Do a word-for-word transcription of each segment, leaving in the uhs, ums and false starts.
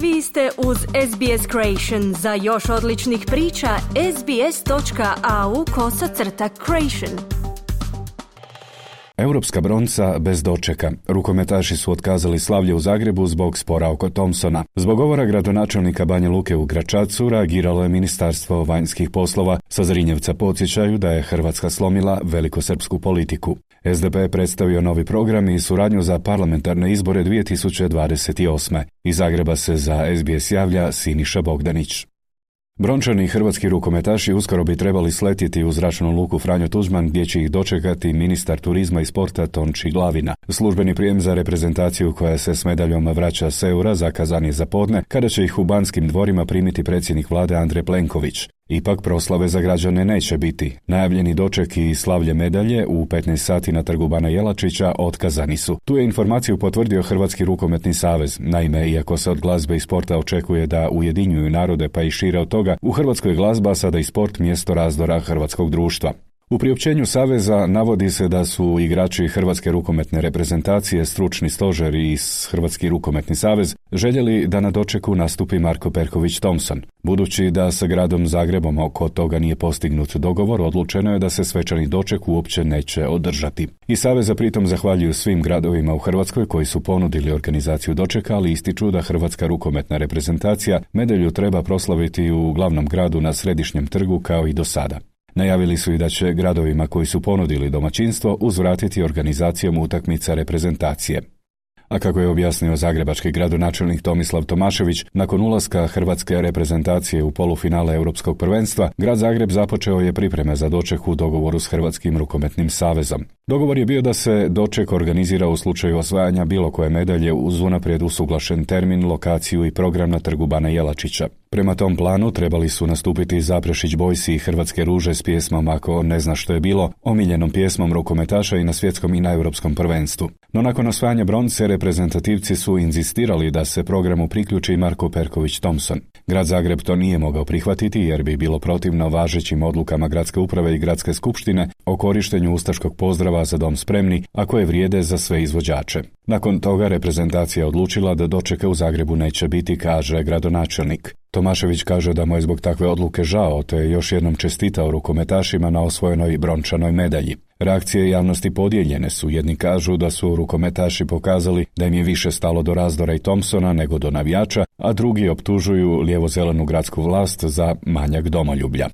Vi ste uz S B S Creation. Za još odličnih priča, sbs.au kosacrta creation. Europska bronca bez dočeka. Rukometaši su otkazali slavlje u Zagrebu zbog spora oko Thompsona. Zbog govora gradonačelnika Banja Luke u Gračacu reagiralo je Ministarstvo vanjskih poslova. Sa Zrinjevca podsjećaju da je Hrvatska slomila velikosrpsku politiku. S D P je predstavio novi program i suradnju za parlamentarne izbore dvije tisuće dvadeset osme. Iz Zagreba se za S B S javlja Siniša Bogdanić. Brončani hrvatski rukometaši uskoro bi trebali sletjeti u zračnu luku Franjo Tuđman gdje će ih dočekati ministar turizma i sporta Tonči Glavina. Službeni prijem za reprezentaciju koja se s medaljom vraća s Eura zakazan je za podne kada će ih u Banskim dvorima primiti predsjednik vlade Andrej Plenković. Ipak proslave za građane neće biti. Najavljeni doček i slavlje medalje u petnaest sati na trgu Bana Jelačića otkazani su. Tu je informaciju potvrdio Hrvatski rukometni savez. Naime, iako se od glazbe i sporta očekuje da ujedinjuju narode pa i šire od toga, u Hrvatskoj glazba sada i sport mjesto razdora hrvatskog društva. U priopćenju Saveza navodi se da su igrači Hrvatske rukometne reprezentacije, stručni stožer i Hrvatski rukometni savez željeli da na dočeku nastupi Marko Perković Thompson. Budući da sa gradom Zagrebom oko toga nije postignut dogovor, odlučeno je da se svečani doček uopće neće održati. I Saveza pritom zahvaljuju svim gradovima u Hrvatskoj koji su ponudili organizaciju dočeka, ali ističu da Hrvatska rukometna reprezentacija medalju treba proslaviti u glavnom gradu na Središnjem trgu kao i do sada. Najavili su i da će gradovima koji su ponudili domaćinstvo uzvratiti organizacijom utakmica reprezentacije. A kako je objasnio zagrebački gradonačelnik Tomislav Tomašević, nakon ulaska hrvatske reprezentacije u polufinale Europskog prvenstva, grad Zagreb započeo je pripreme za doček u dogovoru s Hrvatskim rukometnim savezom. Dogovor je bio da se doček organizira u slučaju osvajanja bilo koje medalje uz unaprijed usuglašen termin, lokaciju i program na trgu Bana Jelačića. Prema tom planu trebali su nastupiti Zaprešić Boysi i Hrvatske ruže s pjesmom Ako ne zna što je bilo, omiljenom pjesmom rukometaša i na svjetskom i na europskom prvenstvu. No nakon osvajanja bronce, reprezentativci su inzistirali da se programu priključi Marko Perković Thompson. Grad Zagreb to nije mogao prihvatiti jer bi bilo protivno važećim odlukama gradske uprave i gradske skupštine o korištenju ustaškog pozdrava Za dom spremni, a koje vrijede za sve izvođače. Nakon toga reprezentacija odlučila da dočeka u Zagrebu neće biti, kaže gradonačelnik. Tomašević kaže da mu je zbog takve odluke žao, te je još jednom čestitao rukometašima na osvojenoj brončanoj medalji. Reakcije javnosti podijeljene su. Jedni kažu da su rukometaši pokazali da im je više stalo do razdora i Thompsona nego do navijača, a drugi optužuju lijevo-zelenu gradsku vlast za manjak domoljublja.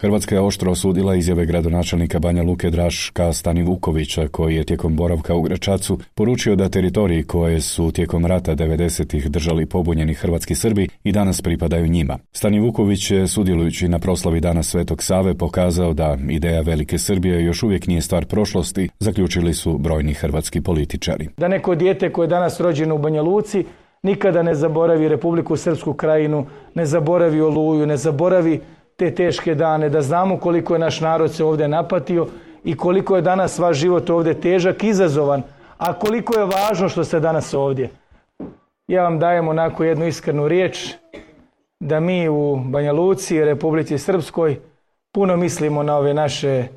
Hrvatska je oštro osudila izjave gradonačelnika Banja Luke Draška Stanivukovića, koji je tijekom boravka u Gračacu poručio da teritoriji koje su tijekom rata devedesetih držali pobunjeni hrvatski Srbi i danas pripadaju njima. Stanivuković je, sudjelujući na proslavi Dana Svetog Save, pokazao da ideja Velike Srbije još uvijek nije stvar prošlosti, zaključili su brojni hrvatski političari. Da neko dijete koje je danas rođeno u Banja Luci nikada ne zaboravi Republiku Srpsku krajinu, ne zaboravi Oluju, ne zaboravi te teške dane, da znamo koliko je naš narod se ovdje napatio i koliko je danas vaš život ovdje težak, izazovan, a koliko je važno što ste danas ovdje. Ja vam dajem onako jednu iskrenu riječ da mi u Banja Luci i Republici Srpskoj puno mislimo na ove naše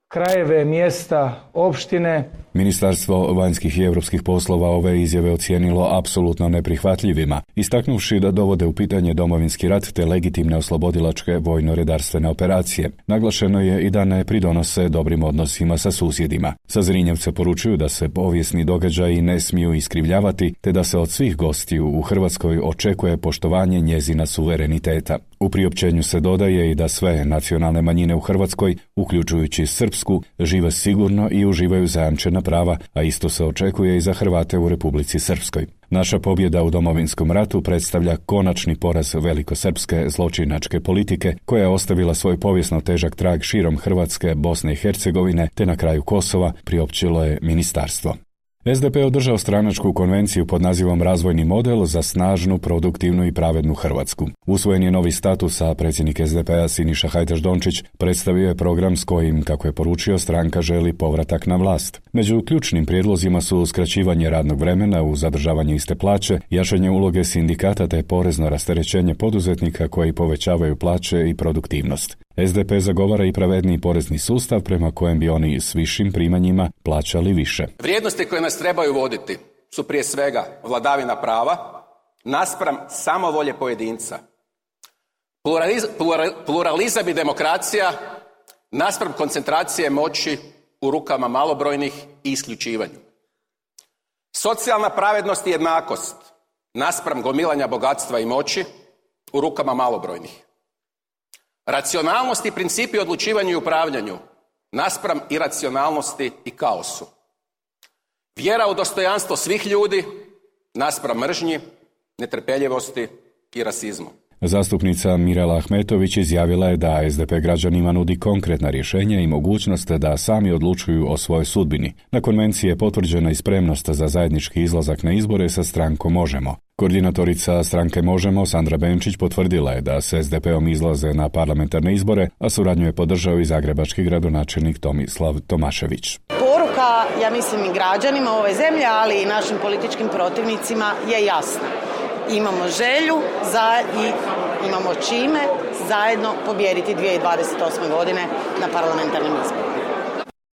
krajeve, mjesta, opštine. Ministarstvo vanjskih i europskih poslova ove izjave ocijenilo apsolutno neprihvatljivima, istaknuvši da dovode u pitanje Domovinski rat te legitimne oslobodilačke vojno-redarstvene operacije. Naglašeno je i da ne pridonose dobrim odnosima sa susjedima. Sa Zrinjevca poručuju da se povijesni događaji ne smiju iskrivljavati, te da se od svih gostiju u Hrvatskoj očekuje poštovanje njezina suvereniteta. U priopćenju se dodaje i da sve nacionalne manjine u Hrvatskoj, uključujući srpsku, žive sigurno i uživaju zajamčena prava, a isto se očekuje i za Hrvate u Republici Srpskoj. Naša pobjeda u Domovinskom ratu predstavlja konačni poraz velikosrpske zločinačke politike koja je ostavila svoj povijesno težak trag širom Hrvatske, Bosne i Hercegovine te na kraju Kosova, priopćilo je ministarstvo. S D P je održao stranačku konvenciju pod nazivom Razvojni model za snažnu, produktivnu i pravednu Hrvatsku. Usvojen je novi status, a predsjednik S D P-a Siniša Hajdaš Dončić predstavio je program s kojim, kako je poručio, stranka želi povratak na vlast. Među ključnim prijedlozima su skraćivanje radnog vremena uz zadržavanje iste plaće, jačanje uloge sindikata te porezno rasterećenje poduzetnika koji povećavaju plaće i produktivnost. S D P zagovara i pravedniji porezni sustav prema kojem bi oni s višim primanjima plaćali više. Vrijednosti koje nas trebaju voditi su prije svega vladavina prava, naspram samovolje pojedinca. Pluraliz, plural, pluralizam i demokracija naspram koncentracije moći u rukama malobrojnih i isključivanju. Socijalna pravednost i jednakost naspram gomilanja bogatstva i moći u rukama malobrojnih. Racionalnost i principi odlučivanju i upravljanju naspram iracionalnosti i kaosu. Vjera u dostojanstvo svih ljudi naspram mržnji, netrpeljivosti i rasizmu. Zastupnica Mirela Ahmetović izjavila je da es de pe građanima nudi konkretna rješenja i mogućnost da sami odlučuju o svojoj sudbini. Na konvenciji je potvrđena i spremnost za zajednički izlazak na izbore sa strankom Možemo. Koordinatorica stranke Možemo, Sandra Benčić, potvrdila je da s es de peom izlaze na parlamentarne izbore, a suradnju je podržao i zagrebački gradonačelnik Tomislav Tomašević. Poruka, ja mislim i građanima ove zemlje, ali i našim političkim protivnicima je jasna. Imamo želju za i imamo čime zajedno pobijediti dvije tisuće dvadeset osme. godine na parlamentarnim izborima.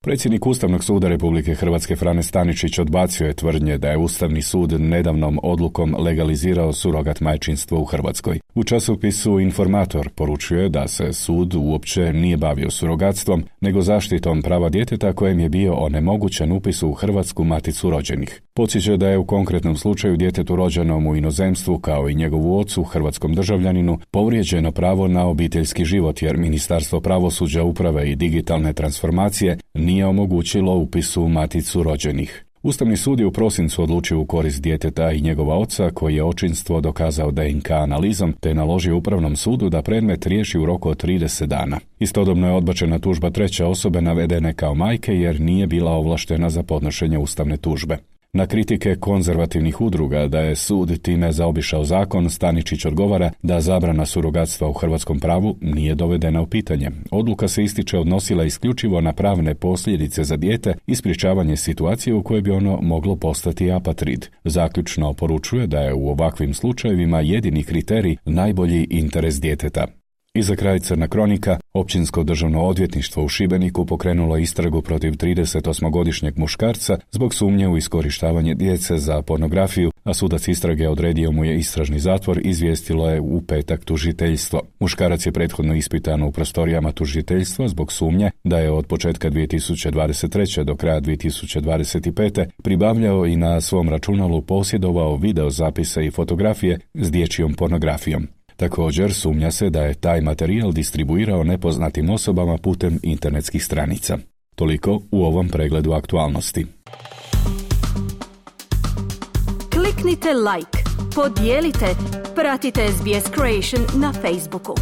Predsjednik Ustavnog suda Republike Hrvatske Frane Staničić odbacio je tvrdnje da je Ustavni sud nedavnom odlukom legalizirao surogat majčinstvo u Hrvatskoj. U časopisu Informator poručuje da se sud uopće nije bavio surogatstvom, nego zaštitom prava djeteta kojem je bio onemogućen upis u Hrvatsku maticu rođenih. Podsjeća da je u konkretnom slučaju djetetu rođenom u inozemstvu, kao i njegovu ocu, hrvatskom državljaninu, povrijeđeno pravo na obiteljski život jer Ministarstvo pravosuđa, uprave i digitalne transformacije nije omogućilo upis u maticu rođenih. Ustavni sud je u prosincu odlučio u korist djeteta i njegova oca, koji je očinstvo dokazao de en ka analizom, te naložio Upravnom sudu da predmet riješi u roku od trideset dana. Istodobno je odbačena tužba treće osobe navedene kao majke jer nije bila ovlaštena za podnošenje ustavne tužbe. Na kritike konzervativnih udruga da je sud time zaobišao zakon, Staničić odgovara da zabrana surogatstva u hrvatskom pravu nije dovedena u pitanje. Odluka se, ističe, odnosila isključivo na pravne posljedice za dijete i sprječavanje situacije u kojoj bi ono moglo postati apatrid. Zaključno poručuje da je u ovakvim slučajevima jedini kriterij najbolji interes djeteta. I za kraj crna kronika, Općinsko državno odvjetništvo u Šibeniku pokrenulo istragu protiv tridesetosmogodišnjeg muškarca zbog sumnje u iskorištavanje djece za pornografiju, a sudac istrage odredio mu je istražni zatvor, izvijestilo je u petak tužiteljstvo. Muškarac je prethodno ispitan u prostorijama tužiteljstva zbog sumnje da je od početka dvije tisuće dvadeset treće do kraja dvije tisuće dvadeset pete pribavljao i na svom računalu posjedovao video zapise i fotografije s dječjom pornografijom. Također sumnja se da je taj materijal distribuirao nepoznatim osobama putem internetskih stranica. Toliko u ovom pregledu aktualnosti. Kliknite like, podijelite, pratite es be es Creation na Facebooku.